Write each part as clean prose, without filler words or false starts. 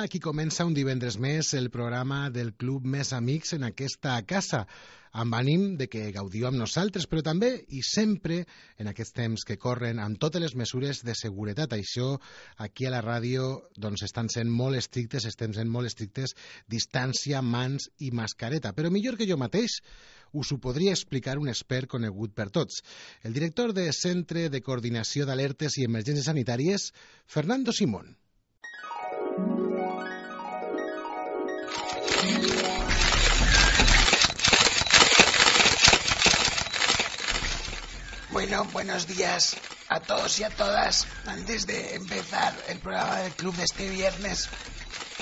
aquí comença un divendres més el programa del Club Més Amics en aquesta casa, amb ànim de que gaudiu amb nosaltres, però també i sempre en aquests temps que corren amb totes les mesures de seguretat. Això aquí a la ràdio doncs estan sent molt estrictes, estem sent molt estrictes, distància, mans i mascareta. Però millor que jo mateix us ho podria explicar un expert conegut per tots. El director de Centre de Coordinació d'Alertes i Emergències Sanitàries, Fernando Simón. Bueno, buenos días a todos y a todas. Antes de empezar el programa del club de este viernes,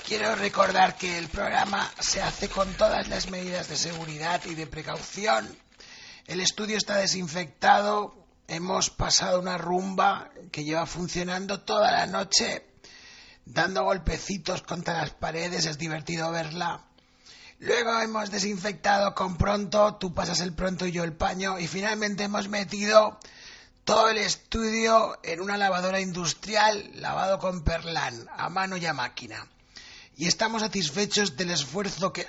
quiero recordar que el programa se hace con todas las medidas de seguridad y de precaución. El estudio está desinfectado, hemos pasado una rumba que lleva funcionando toda la noche, dando golpecitos contra las paredes, es divertido verla. Luego hemos desinfectado con Pronto, tú pasas el Pronto y yo el paño, y finalmente hemos metido todo el estudio en una lavadora industrial, lavado con Perlán, a mano y a máquina. Y estamos satisfechos del esfuerzo que...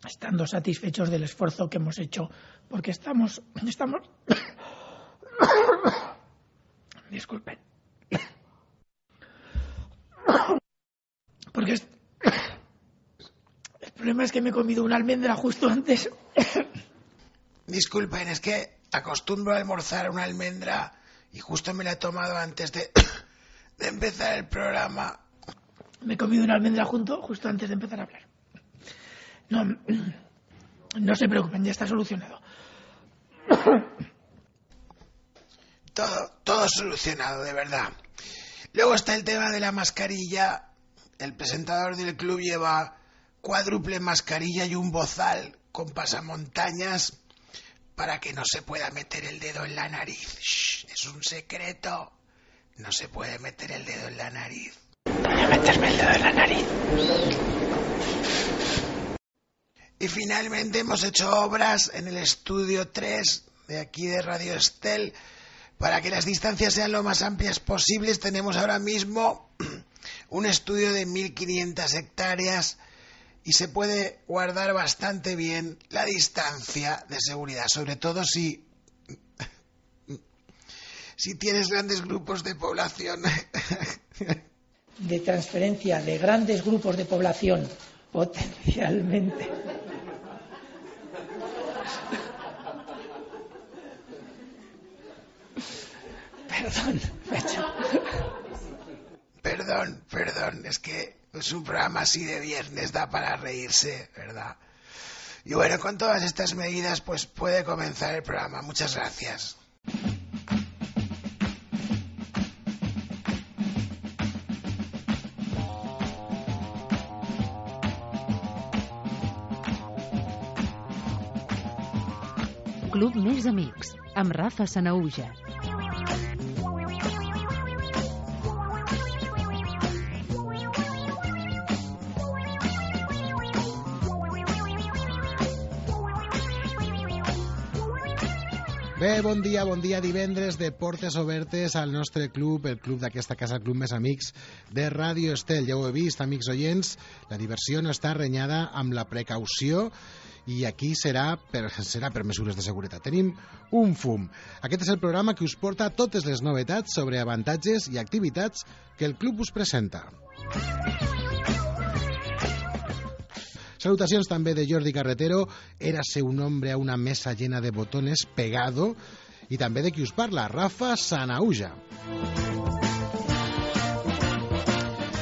Estando satisfechos del esfuerzo que hemos hecho, porque estamos... Disculpen. Porque el problema es que me he comido una almendra justo antes. Disculpen, es que acostumbro a almorzar una almendra y justo me la he tomado antes de empezar el programa. Me he comido una almendra justo antes de empezar a hablar. No se preocupen, ya está solucionado. Todo solucionado, de verdad. Luego está el tema de la mascarilla. El presentador del club lleva cuádruple mascarilla y un bozal con pasamontañas para que no se pueda meter el dedo en la nariz. Shh, es un secreto. No se puede meter el dedo en la nariz. Voy a meterme el dedo en la nariz. Y finalmente hemos hecho obras en el estudio 3 de aquí de Radio Estel. Para que las distancias sean lo más amplias posibles, tenemos ahora mismo un estudio de 1.500 hectáreas y se puede guardar bastante bien la distancia de seguridad, sobre todo si tienes grandes grupos de población. De transferencia de grandes grupos de población, potencialmente. Perdón, es que es un programa así de viernes, da para reírse, ¿verdad? Y bueno, con todas estas medidas, pues puede comenzar el programa. Muchas gracias. Club Més Amics, amb Rafa Sanahuja. Bé, bon dia, divendres de portes obertes al nostre club, el club d'aquesta casa, el Club Més Amics de Ràdio Estel. Ja ho he vist, amics oients, la diversió no està renyada amb la precaució i aquí serà per mesures de seguretat. Tenim un fum. Aquest és el programa que us porta totes les novetats sobre avantatges i activitats que el club us presenta. Salutacions també de Jordi Carretero, érase un hombre a una mesa llena de botones pegado, i també de qui us parla, Rafa Sanahuja.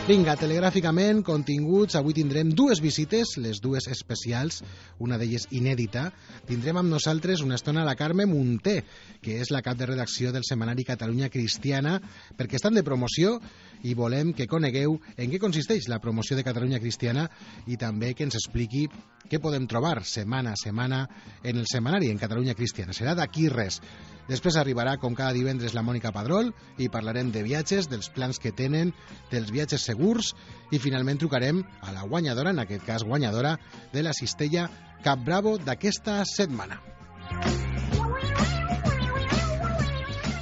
Vinga, telegràficament, continguts. Avui tindrem dues visites, les dues especials, una d'elles inèdita. Tindrem amb nosaltres una estona la Carme Munté, que és la cap de redacció del setmanari Catalunya Cristiana, perquè estan de promoció i volem que conegueu en què consisteix la promoció de Catalunya Cristiana i també que ens expliqui què podem trobar setmana a setmana en el setmanari en Catalunya Cristiana. Serà d'aquí res. Després arribarà, com cada divendres, la Mònica Padrol i parlarem de viatges, dels plans que tenen, dels viatges segurs i finalment trucarem a la guanyadora, en aquest cas guanyadora, de la cistella Cap Bravo d'aquesta setmana.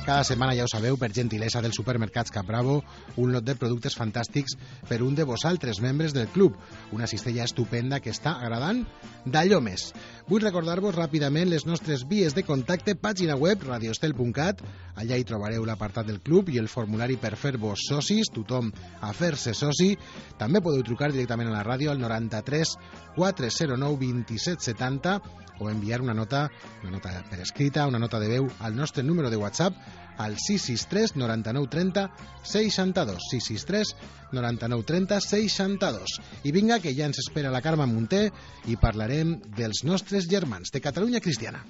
Cada setmana, ja ho sabeu, per gentilesa dels supermercats Cap Bravo, un lot de productes fantàstics per un de vosaltres, membres del club. Una cistella estupenda que està agradant d'allò més. Vull recordar-vos ràpidament les nostres vies de contacte, pàgina web radiostel.cat, allà hi trobareu l'apartat del club i el formulari per fer-vos socis, tothom a fer-se soci. També podeu trucar directament a la ràdio al 93 409 27 70 o enviar una nota per escrita, una nota de veu al nostre número de WhatsApp al 663 99 30 62, 663 99 30 62. I vinga, que ja ens espera la Carme Munté i parlarem dels nostres germans de Catalunya Cristiana.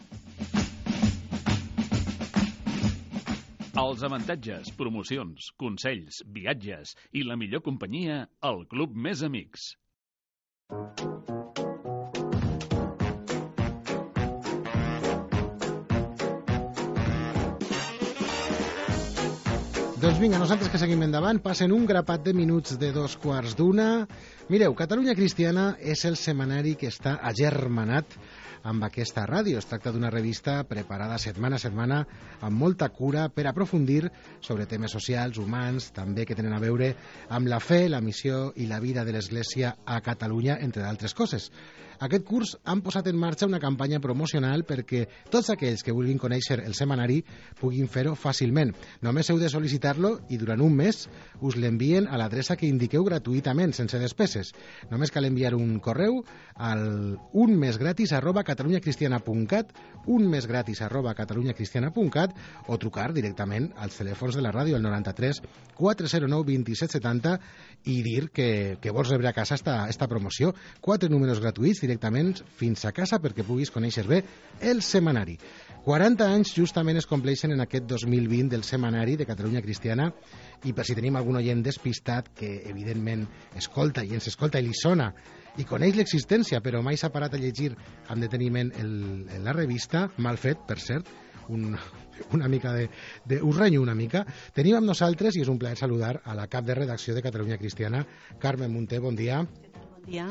Els avantatges, promocions, consells, viatges i la millor companyia al Club Més Amics. Doncs vinga, nosaltres que seguim endavant, passen un grapat de minuts de 2:15. Mireu, Catalunya Cristiana és el setmanari que està agermanat amb aquesta ràdio. Es tracta d'una revista preparada setmana a setmana amb molta cura per aprofundir sobre temes socials, humans, també que tenen a veure amb la fe, la missió i la vida de l'Església a Catalunya, entre d'altres coses. Aquest curs han posat en marxa una campanya promocional perquè tots aquells que vulguin conèixer el setmanari puguin fer-ho fàcilment. Només heu de sol·licitar-lo i durant un mes us l'envien a l'adreça que indiqueu gratuïtament, sense despeses. Només cal enviar un correu al unmesgratis@catalunyacristiana.cat, unmesgratis@catalunyacristiana.cat o trucar directament als telèfons de la ràdio al 93 409 27 70 i dir que vols rebre a casa esta promoció. 4 números gratuïts directament fins a casa perquè puguis conèixer bé el setmanari. 40 anys justament es compleixen en aquest 2020 del setmanari de Catalunya Cristiana i per si tenim algun oient despistat que evidentment escolta i ens escolta i li sona i coneix l'existència però mai s'ha parat a llegir amb deteniment la revista, mal fet, per cert, una mica us renyo una mica. Tenim amb nosaltres, i és un plaer saludar a la cap de redacció de Catalunya Cristiana, Carme Munté, bon dia. Bon dia.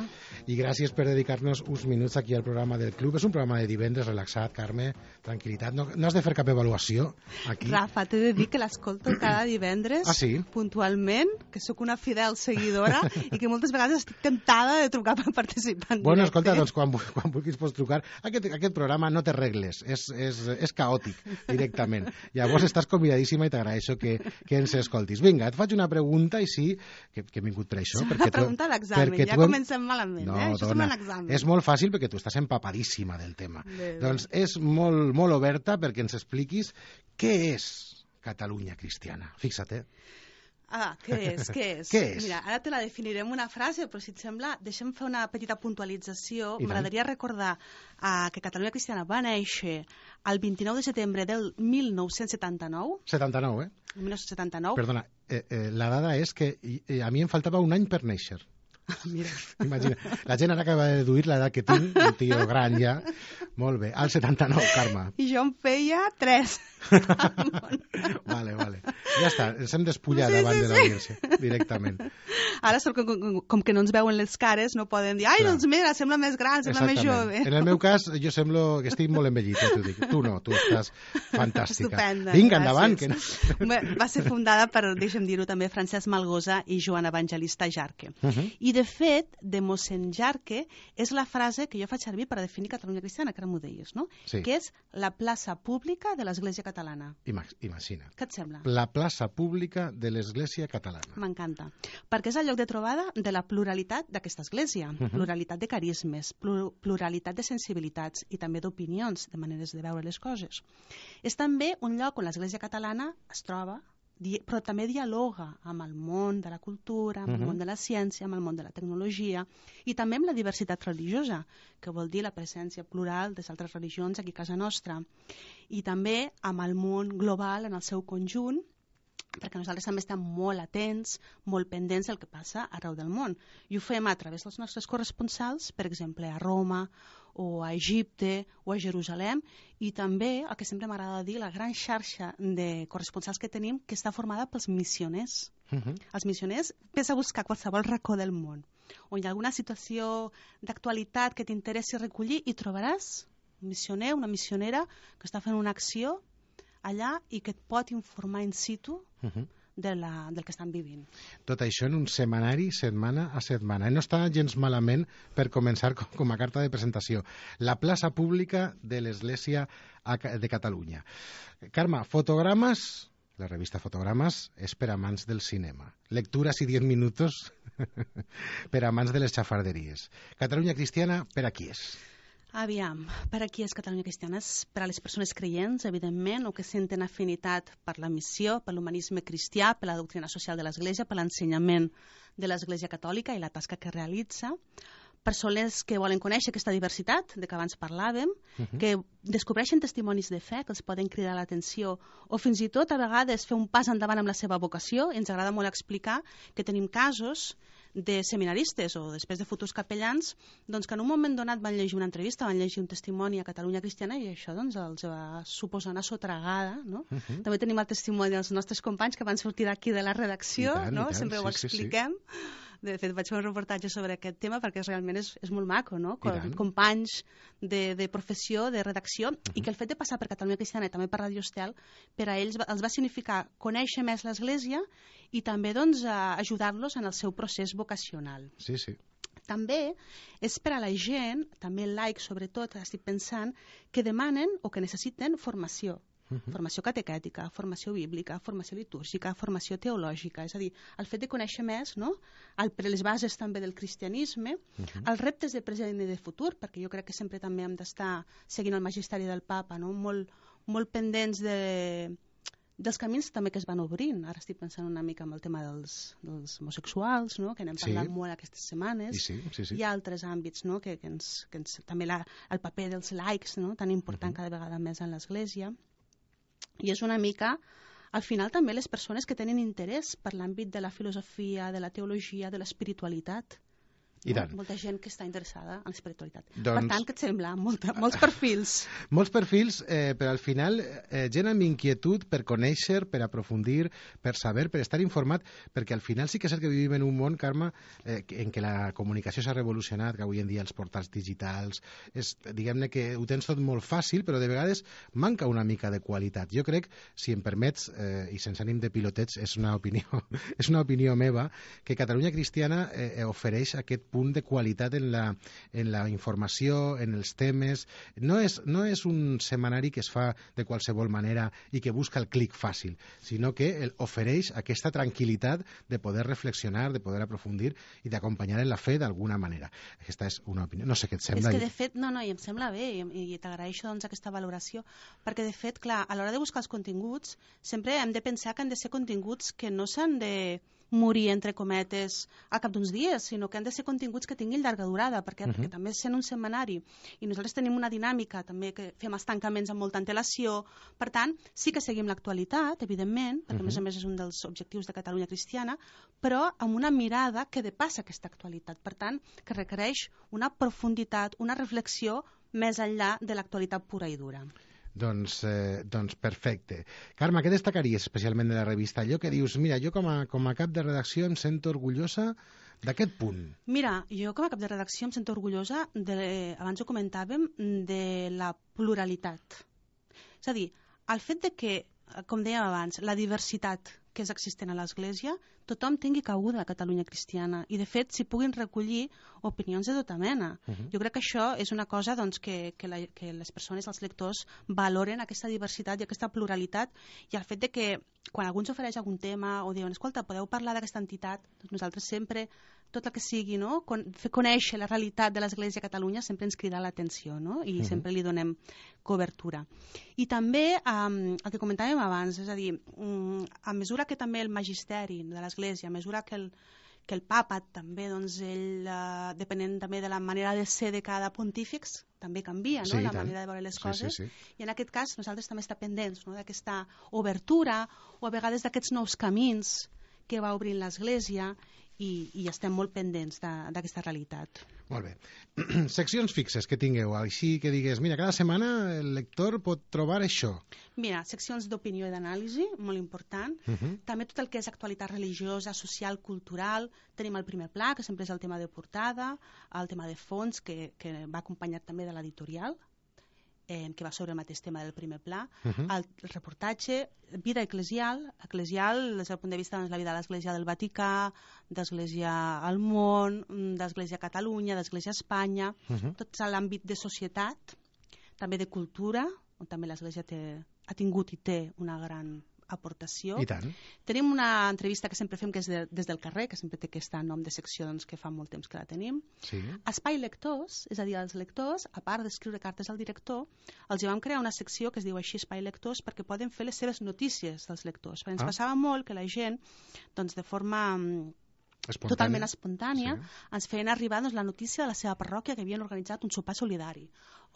I gràcies per dedicar-nos uns minuts aquí al programa del club. És un programa de divendres relaxat, Carme, tranquil·litat. No has de fer cap avaluació aquí. Rafa, t'he de dir que l'escolto cada divendres puntualment, que sóc una fidel seguidora i que moltes vegades estic temptada de trucar per participar en Bueno, directe. escolta, doncs quan vulguis pots trucar. Aquest programa no té regles, és caòtic directament. Llavors estàs convidadíssima i t'agraeixo que ens escoltis. Vinga, et faig una pregunta i sí, que he vingut per això. És una pregunta d'examen, ja comencem malament. No, Això dona, és un examen. és molt fàcil perquè tu estàs empapadíssima del tema. Doncs és molt oberta perquè ens expliquis què és Catalunya Cristiana. Fixa't, Què és? Què és? Mira, ara te la definiré amb una frase, però si et sembla, deixa'm fer una petita puntualització. I tant. M'agradaria recordar que Catalunya Cristiana va néixer el 29 de setembre del 1979. 79, 1979. Perdona, la dada és que a mi em faltava un any per néixer. Mira. Imagina, la gent ara acaba de deduir l'edat que tinc, un tio gran ja. Molt bé, al 79, Carme. I jo en feia 3. Vale. Ja està, ens hem despullat davant de l'audiència, directament. Ara, com que no ens veuen les cares, no poden dir, ai, doncs mira, sembla més gran, sembla més jove. En el meu cas, jo semblo que estic molt envellit, t'ho dic. Tu no, tu estàs fantàstica. Estupenda. Vinga, endavant. Que no... Va ser fundada per, deixa'm dir-ho també, Francesc Malgosa i Joan Evangelista Jarque. I, de fet, de mossèn Jarque és la frase que jo faig servir per definir Catalunya Cristiana, que ara m'ho deies, no? Sí. Que és la plaça pública de l'Església Catalana. Imagina't. Què et sembla? La plaça pública de l'Església Catalana. M'encanta. Perquè és el lloc de trobada de la pluralitat d'aquesta església. Pluralitat de carismes, pluralitat de sensibilitats i també d'opinions, de maneres de veure les coses. És també un lloc on l'església catalana es troba, però també dialoga amb el món de la cultura, amb el món de la ciència, amb el món de la tecnologia i també amb la diversitat religiosa, que vol dir la presència plural de altres religions aquí a casa nostra. I també amb el món global en el seu conjunt, perquè nosaltres també estem molt atents, molt pendents del que passa arreu del món. I ho fem a través dels nostres corresponsals, per exemple, a Roma, o a Egipte, o a Jerusalem, i també, el que sempre m'agrada dir, la gran xarxa de corresponsals que tenim, que està formada pels missioners. Els missioners, ves a buscar qualsevol racó del món, on hi ha alguna situació d'actualitat que t'interessi recollir, i trobaràs un missioner, una missionera, que està fent una acció allà i que et pot informar in situ del que estan vivint. Tot això en un setmanari, setmana a setmana. No està gens malament per començar com a carta de presentació. La plaça pública de l'Església de Catalunya. Carme, fotogrames, la revista Fotogrames és per amants del cinema. Lecturas y 10 minutos per amants de les xafarderies. Catalunya Cristiana, per a qui és? Aviam, per aquí és Catalunya Cristiana, és per a les persones creients, evidentment, o que senten afinitat per la missió, per l'humanisme cristià, per la doctrina social de l'Església, per l'ensenyament de l'Església Catòlica i la tasca que realitza, persones que volen conèixer aquesta diversitat de què abans parlàvem, que descobreixen testimonis de fe que els poden cridar l'atenció o fins i tot a vegades fer un pas endavant amb la seva vocació. Ens agrada molt explicar que tenim casos de seminaristes o després de futurs capellans doncs, que en un moment donat van llegir una entrevista, van llegir un testimoni a Catalunya Cristiana i això doncs, els va suposar una sotragada. No? També tenim el testimoni dels nostres companys que van sortir d'aquí de la redacció, no? Sempre ho expliquem. De fet, vaig fer un reportatge sobre aquest tema perquè realment és molt maco, no? Companys de professió, de redacció, i que el fet de passar per Catalunya Cristiana i també per Radio Estel, per a ells els va significar conèixer més l'Església i també doncs, ajudar-los en el seu procés vocacional. Sí, sí. També és per a la gent, també laics sobretot, estic pensant, que demanen o que necessiten formació. Formació catequètica, formació bíblica, formació litúrgica, formació teològica, és a dir, el fet de conèixer més, no? Les bases també del cristianisme, els reptes de present i de futur, perquè jo crec que sempre també hem d'estar seguint el magisteri del papa, no? Molt pendents dels camins també que es van obrint. Ara estic pensant una mica en el tema dels homosexuals, no? Que n'hem parlat molt aquestes setmanes. Sí. Hi ha altres àmbits, no? que ens també el paper dels laics, no? Tan important cada vegada més en l'Església. I és una mica, al final, també les persones que tenen interès per l'àmbit de la filosofia, de la teologia, de l'espiritualitat. I tant. Molta gent que està interessada en l'espiritualitat. Doncs... Per tant, què et sembla? Molts perfils. Molts perfils, però al final gent amb inquietud per conèixer, per aprofundir, per saber, per estar informat, perquè al final sí que és cert que vivim en un món, Carme, en què la comunicació s'ha revolucionat, que avui en dia els portals digitals, diguem-ne que ho tens tot molt fàcil, però de vegades manca una mica de qualitat. Jo crec, si em permets, i sense ànim de piloteig, és una opinió meva, que Catalunya Cristiana ofereix aquest punt de qualitat en la informació, en els temes. No és un setmanari que es fa de qualsevol manera i que busca el clic fàcil, sinó que ofereix aquesta tranquil·litat de poder reflexionar, de poder aprofundir i d'acompanyar en la fe d'alguna manera. Aquesta és una opinió. No sé què et sembla. És que de fet, no, i em sembla bé i t'agraeixo doncs aquesta valoració, perquè de fet, clar, a l'hora de buscar els continguts sempre hem de pensar que han de ser continguts que no s'han de morir, entre cometes, al cap d'uns dies, sinó que han de ser continguts que tinguin llarga durada, perquè també sent un setmanari i nosaltres tenim una dinàmica també que fem els tancaments amb molta antelació, per tant, sí que seguim l'actualitat, evidentment, perquè a més és un dels objectius de Catalunya Cristiana, però amb una mirada que depassa aquesta actualitat, per tant, que requereix una profunditat, una reflexió més enllà de l'actualitat pura i dura. Doncs perfecte. Carme, què destacaries especialment de la revista? Allò que dius, mira, jo com a cap de redacció em sento orgullosa d'aquest punt. Mira, jo com a cap de redacció em sento orgullosa, abans ho comentàvem, de la pluralitat. És a dir, el fet de que, com dèiem abans, la diversitat que és existent a l'Església, tothom tingui cabuda a Catalunya Cristiana i de fet s'hi puguin recollir opinions de tota mena. Jo crec que això és una cosa doncs, que les persones, els lectors, valoren aquesta diversitat i aquesta pluralitat i el fet de que quan algú ens ofereix algun tema o diuen, escolta, podeu parlar d'aquesta entitat, doncs nosaltres sempre, tot el que sigui, no? Fer conèixer la realitat de l'Església a Catalunya sempre ens crida l'atenció, no? I sempre li donem cobertura. I també el que comentàvem abans, és a dir, a mesura que també el magisteri de l'Església, a mesura que el papa també, doncs ell, depenent també de la manera de ser de cada pontífex, també canvia, no? La manera de veure les coses. I en aquest cas nosaltres també estem pendents, no? D'aquesta obertura o a vegades d'aquests nous camins que va obrint l'Església i estem molt pendents d'aquesta realitat. Molt bé. Seccions fixes que tingueu, així que digues, mira, cada setmana el lector pot trobar això. Mira, seccions d'opinió i d'anàlisi, molt important. També tot el que és actualitat religiosa, social, cultural. Tenim el primer pla, que sempre és el tema de portada, el tema de fons, que va acompanyat també de l'editorial. que va sobre el mateix tema del primer pla. El reportatge, vida eclesial, des del punt de vista de la vida de l'Església del Vaticà, d'Església al món, d'Església a Catalunya, d'Església a Espanya, tot l'àmbit de societat, també de cultura, on també l'Església ha tingut i té una gran aportació. I tant. Tenim una entrevista que sempre fem que és des del carrer, que sempre té aquest nom de secció que fa molt temps que la tenim. Sí. Espai lectors, és a dir, els lectors, a part d'escriure cartes al director, els vam crear una secció que es diu així Espai lectors perquè poden fer les seves notícies dels lectors. Perquè ens passava molt que la gent, doncs, de forma totalment espontània, ens feien arribar la notícia de la seva parròquia que havien organitzat un sopar solidari,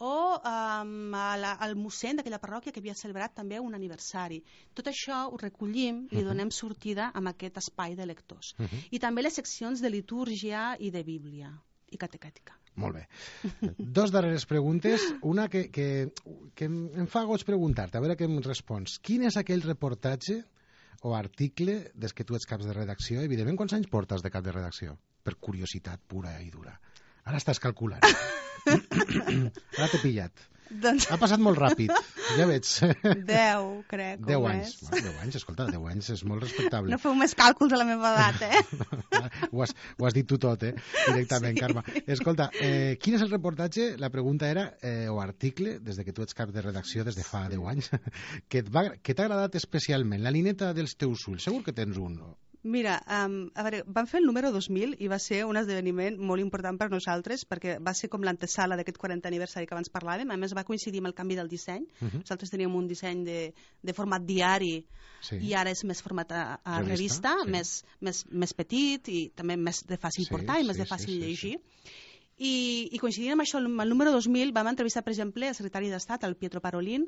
o el mossèn d'aquella parròquia que havia celebrat també un aniversari. Tot això ho recollim i donem sortida amb aquest espai de lectors. I també les seccions de litúrgia i de Bíblia i catequètica. Molt bé. Dos darreres preguntes. Una que em fa goig preguntar-te, a veure què em respons. Quin és aquell reportatge o article des que tu ets caps de redacció? Evidentment, quants anys portes de cap de redacció? Per curiositat pura i dura. Ara estàs calculant. Ara t'he pillat. Doncs... Ha passat molt ràpid, ja veig. 10, crec. 10 anys. 10 anys, escolta, 10 anys és molt respectable. No feu més càlculs a la meva edat, Ho has dit tu tot, directament, sí. Carme. Escolta, quin és el reportatge? La pregunta era, o article, des que tu ets cap de redacció des de fa 10 anys, que t'ha agradat especialment? La lineta dels teus ulls, segur que tens un... Mira, a veure, vam fer el número 2000 i va ser un esdeveniment molt important per nosaltres perquè va ser com l'antesala d'aquest 40 aniversari que abans parlàvem. A més, va coincidir amb el canvi del disseny. Nosaltres teníem un disseny de format diari i ara és més format a revista, més petit i també més de fàcil portar i més de fàcil llegir. I coincidint amb això, el número 2000 vam entrevistar, per exemple, el secretari d'Estat, el Pietro Parolin,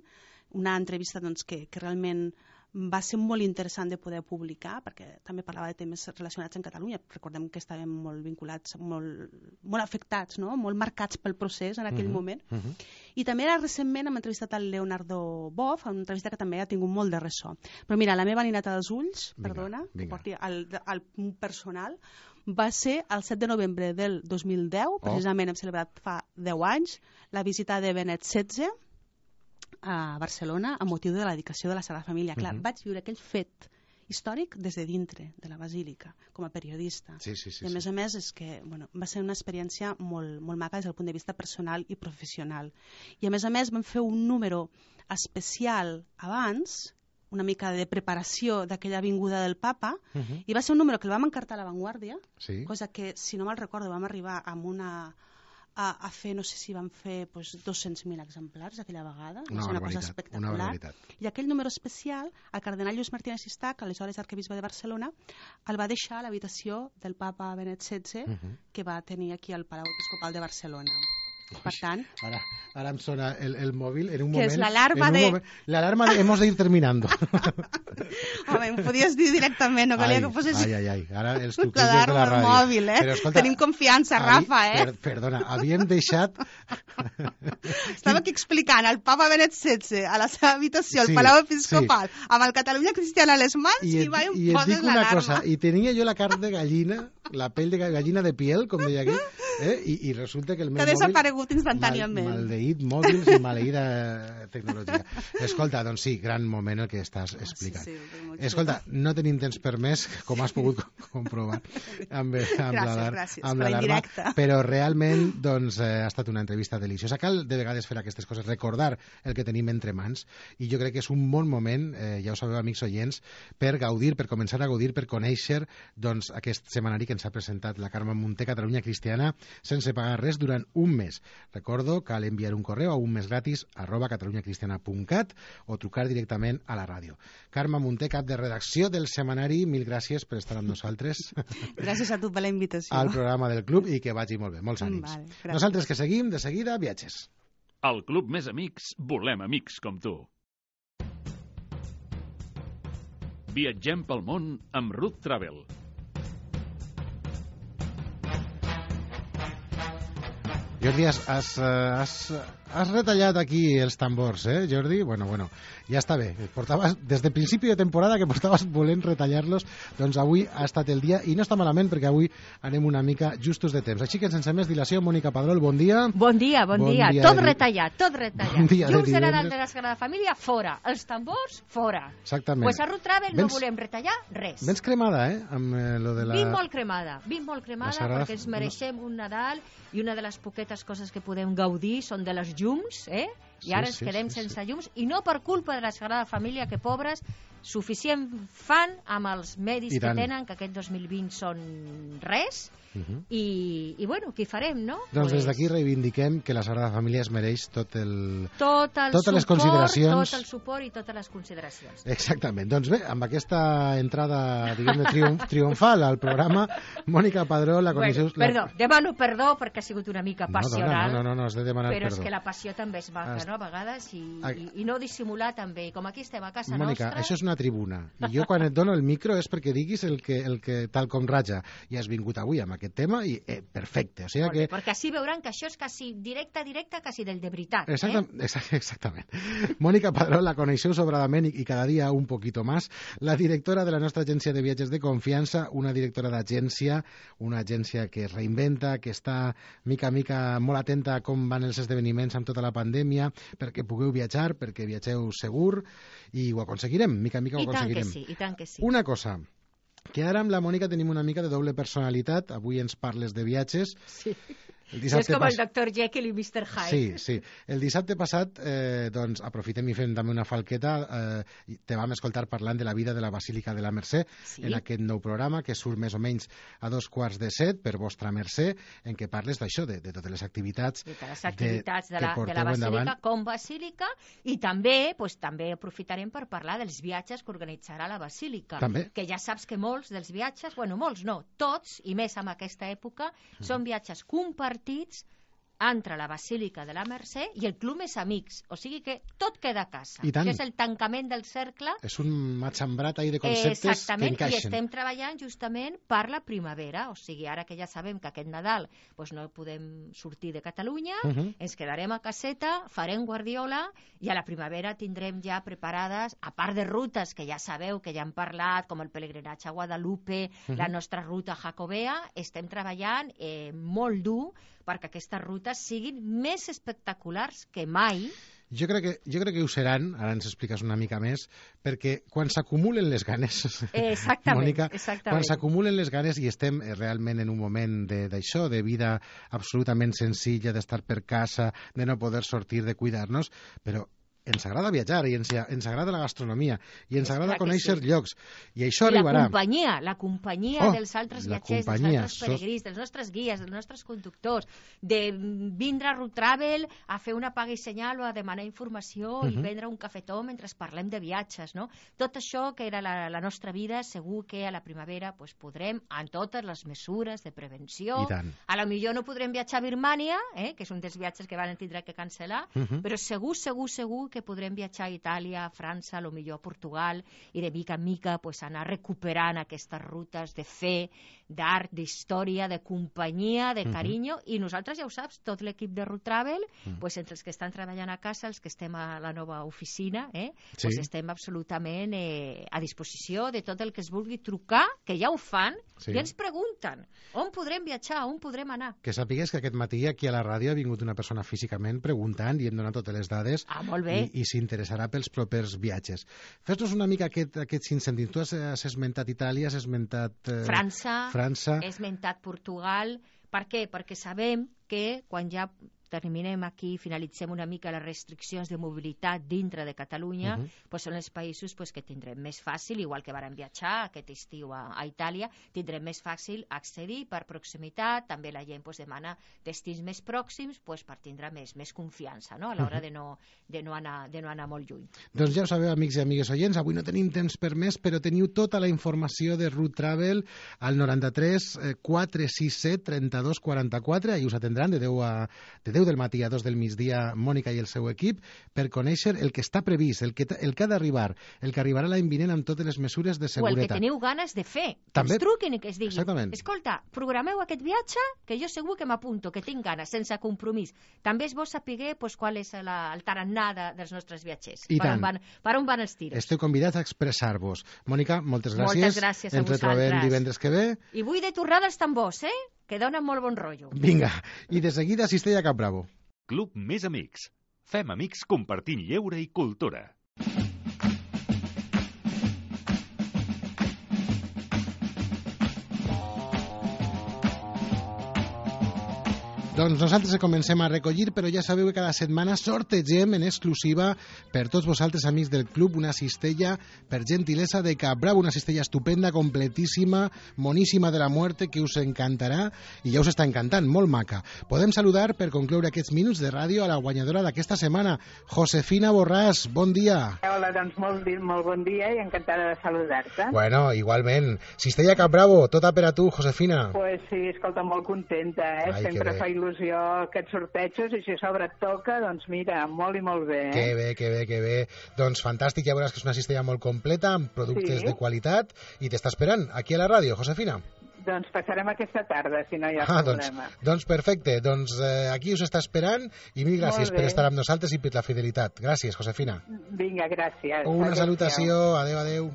una entrevista que realment va ser molt interessant de poder publicar perquè també parlava de temes relacionats amb Catalunya. Recordem que estàvem molt vinculats, molt afectats, no? Molt marcats pel procés en aquell moment. I també recentment hem entrevistat el Leonardo Boff, una entrevista que també ha tingut molt de ressò. Però mira, la meva lineta dels ulls, perdona, que porti al punt personal, va ser el 7 de novembre del 2010, precisament hem celebrat fa 10 anys, la visita de Benet XVI a Barcelona a motiu de la dedicació de la Sagrada Família. Clar, vaig viure aquell fet històric des de dintre de la Basílica, com a periodista. I a més és que va ser una experiència molt maca des del punt de vista personal i professional. I a més vam fer un número especial abans, una mica de preparació d'aquella vinguda del papa, i va ser un número que el vam encartar a La Vanguardia, cosa que, si no me'l recordo, vam arribar amb a fer, no sé si van fer 200.000 exemplars aquella vegada, va ser una cosa espectacular. I aquell número especial, el cardenal Lluís Martínez Sistac, aleshores arquebisbe de Barcelona, el va deixar a l'habitació del papa Benet XVI, que va tenir aquí al Palau Episcopal de Barcelona. Per tant... Ara em sona el mòbil en un moment... Que és l'alarma de... L'alarma de hemos de ir terminando. Home, em podies dir directament, no calia que fossis... Ara els truquillos de la ràdio. Mòbil, Però, escolta, tenim confiança, Rafa, Perdona, havíem deixat... Estava aquí explicant al papa Benet XVI a la seva habitació, al Palau Episcopal, amb el Catalunya Cristiana a les mans i va i em poses l'alarma. I tenia jo la carn de gallina, la pell de gallina de piel, com deia aquí, i resulta que el meu mòbil... Que ha desaparegut instantàniament. Maldeït mòbils i maleïda tecnologia. Escolta, doncs sí, gran moment el que estàs explicant. Escolta, no tenim temps per més, com has pogut comprovar amb l'alarma, però realment doncs, ha estat una entrevista deliciosa. Cal de vegades fer aquestes coses, recordar el que tenim entre mans, i jo crec que és un bon moment, ja ho sabeu, amics oients, per gaudir, per començar a gaudir, per conèixer doncs, aquest setmanari que ens ha presentat la Carme Munté, Catalunya Cristiana, sense pagar res durant un mes. Recordo, cal enviar un correu a unmesgratis@catalunyacristiana.cat o trucar directament a la ràdio. Carme Munté, cap de redacció del setmanari, mil gràcies per estar amb nosaltres. Gràcies a tu per la invitació. Al programa del club i que vagi molt bé. Molts ànims. Nosaltres que seguim, de seguida, viatges. Al Club Més Amics volem amics com tu. Viatgem pel món amb Ruth Travel. Jordi, has has retallat aquí els tambors, Jordi? Bueno, ja està bé. Portaves, des de principi de temporada que portaves volent retallar-los, doncs avui ha estat el dia, i no està malament perquè avui anem una mica justos de temps. Així que sense més dilació, Mònica Padrol, bon dia. Bon dia. Tot retallat. Bon dia Llums de Nadal de la Sagrada Família, fora. Els tambors, fora. Exactament. Pues a Ruth Travel no volem retallar res. Vens cremada, amb lo de la... Vinc molt cremada, perquè ens mereixem un Nadal, i una de les poquetes coses que podem gaudir són de les llums, i ara ens quedem sense llums, i no per culpa de la Sagrada Família, que pobres, suficient fan amb els medis que tenen, que aquest 2020 són res, i bueno, què farem, no? Doncs des d'aquí reivindiquem que la Sagrada Família es mereix totes les consideracions. Tot el suport i totes les consideracions. Exactament. Doncs bé, amb aquesta entrada, diguem-ne, triomfal al programa, Mònica Padró, la coneixeu... Demano perdó perquè ha sigut una mica passional. No, has de demanar però perdó. És que la passió també és maca, no?, a vegades, i no dissimular també. Com aquí estem a casa Mònica, nostra... això és una tribuna, i jo quan et dono el micro és perquè diguis el que tal com raja, i has vingut avui amb aquest tema, i perfecte. O sigui que... Perquè així veuran que això és quasi directe, quasi del de veritat. Exactament. Mònica Padró, la coneixeu sobradament i cada dia un poquito más, la directora de la nostra agència de viatges de confiança, una directora d'agència, una agència que es reinventa, que està mica a mica molt atenta a com van els esdeveniments amb tota la pandèmia, perquè pugueu viatjar, perquè viatgeu segur, i ho aconseguirem, mica a mica ho aconseguirem. I tant que sí. Una cosa, que ara amb la Mònica tenim una mica de doble personalitat. Avui ens parles de viatges. Sí. És com el Dr. Jekyll i Mr. Hyde. Sí. El dissabte passat, doncs, aprofitem i fem també una falqueta. Te vam escoltar parlant de la vida de la Basílica de la Mercè en aquest nou programa que surt més o menys a 6:45 per vostra Mercè, en què parles d'això, de totes les activitats. De totes les activitats de la Basílica com Basílica, i també aprofitarem per parlar dels viatges que organitzarà la Basílica. També. Que ja saps que molts dels viatges, molts no, tots, i més en aquesta època, són viatges compartits entre la Basílica de la Mercè i el Club Més Amics. O sigui que tot queda a casa. Això és el tancament del cercle. És un matxembrat ahí de conceptes que encaixen. I estem treballant justament per la primavera. O sigui, ara que ja sabem que aquest Nadal no podem sortir de Catalunya, ens quedarem a caseta, farem guardiola, i a la primavera tindrem ja preparades, a part de rutes que ja sabeu, que ja hem parlat, com el pelegrinatge a Guadalupe, la nostra ruta jacobea, estem treballant molt dur perquè aquestes rutes siguin més espectaculars que mai. Jo crec que ho seran, ara ens expliques una mica més, perquè quan s'acumulen les ganes, Mònica, quan s'acumulen les ganes i estem realment en un moment d'això, de vida absolutament senzilla, d'estar per casa, de no poder sortir, de cuidar-nos, però ens agrada viatjar i ens agrada la gastronomia i ens agrada conèixer llocs, i això arribarà. La companyia dels altres viatgers, dels altres peregrins, dels nostres guies, dels nostres conductors, de vindre a Ruth Travel a fer una paga i senyal o a demanar informació i prendre un cafetó mentre parlem de viatges, no? Tot això que era la nostra vida, segur que a la primavera podrem, amb totes les mesures de prevenció, a lo millor no podrem viatjar a Birmània, que és un dels viatges que van tindre que cancel·lar, però segur que podrem viatjar a Itàlia, a França, a lo millor a Portugal, i de mica en mica anar recuperant aquestes rutes de fe, d'art, d'història, de companyia, de carinyo, i nosaltres, ja ho saps, tot l'equip de Ruth Travel, entre els que estan treballant a casa, els que estem a la nova oficina, estem absolutament a disposició de tot el que es vulgui trucar, que ja ho fan, i ens pregunten on podrem viatjar, on podrem anar. Que sàpigues que aquest matí aquí a la ràdio ha vingut una persona físicament preguntant i hem donat totes les dades. Molt bé. I s'interessarà pels propers viatges. Fes-nos una mica aquests incendis. Tu has esmentat Itàlia, has esmentat... França. He esmentat Portugal. Per què? Perquè sabem que quan ja terminem aquí, finalitzem una mica les restriccions de mobilitat dintre de Catalunya, són els països que tindrem més fàcil, igual que vàrem viatjar aquest estiu a Itàlia, tindrem més fàcil accedir per proximitat, també la gent demana destins més pròxims per tindre més confiança, no? A l'hora de no anar molt lluny. Doncs ja ho sabeu, amics i amigues oients, avui no tenim temps per més, però teniu tota la informació de Ruth Travel al 93 467 32 44, i us atendran de 10 10 del matí a 2 del migdia, Mònica i el seu equip, per conèixer el que està previst, el que ha d'arribar, el que arribarà l'any vinent amb totes les mesures de seguretat. O el que teniu ganes de fer. També. Que es truquin i que es diguin. Exactament. Escolta, programeu aquest viatge, que jo segur que m'apunto, que tinc ganes, sense compromís. També és bo saber qual és el tarannà dels nostres viatgers. I tant. Per on van els tiros. Esteu convidats a expressar-vos. Mònica, moltes gràcies. Moltes gràcies a Ens retrobem divendres que ve. I vull de tornar dels tambors, que donen molt bon rotllo. Vinga, i de seguida Cistella Cap Bravo. Club Més Amics. Fem amics compartint lleure i cultura. Doncs nosaltres comencem a recollir, però ja sabeu que cada setmana sortegem en exclusiva per tots vosaltres, amics del club, una cistella per gentilesa de Cap Bravo, una cistella estupenda, completíssima, moníssima de la muerte, que us encantarà, i ja us està encantant, molt maca. Podem saludar, per concloure aquests minuts de ràdio, a la guanyadora d'aquesta setmana, Josefina Borràs. Bon dia. Hola, doncs molt bon dia i encantada de saludar-te. Bueno, igualment. Cistella Cap Bravo, tota per a tu, Josefina. Pues sí, escolta, molt contenta, Ai, sempre fa il·lusió aquests sortejos, i si a sobre et toca, doncs mira, molt i molt bé. Que bé. Doncs fantàstic, ja veuràs que és una cistella molt completa, amb productes de qualitat, i t'està esperant aquí a la ràdio, Josefina. Doncs passarem aquesta tarda, si no hi ha problema. Doncs perfecte, doncs aquí us està esperant, i mil gràcies per estar amb nosaltres i per la fidelitat. Gràcies, Josefina. Vinga, gràcies. Una salutació, adeu.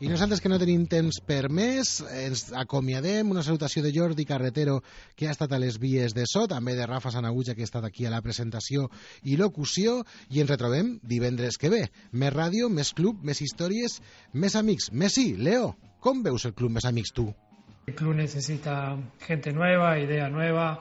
I nosaltres, que no tenim temps per més, ens acomiadem. Una salutació de Jordi Carretero, que ha estat a les vies de so, també de Rafa Sanaguja, que ha estat aquí a la presentació i locució, i ens retrobem divendres que ve. Més ràdio, més club, més històries, més amics. Messi, Leo, com veus el club Més Amics tu? El club necesita gente nueva, idea nueva,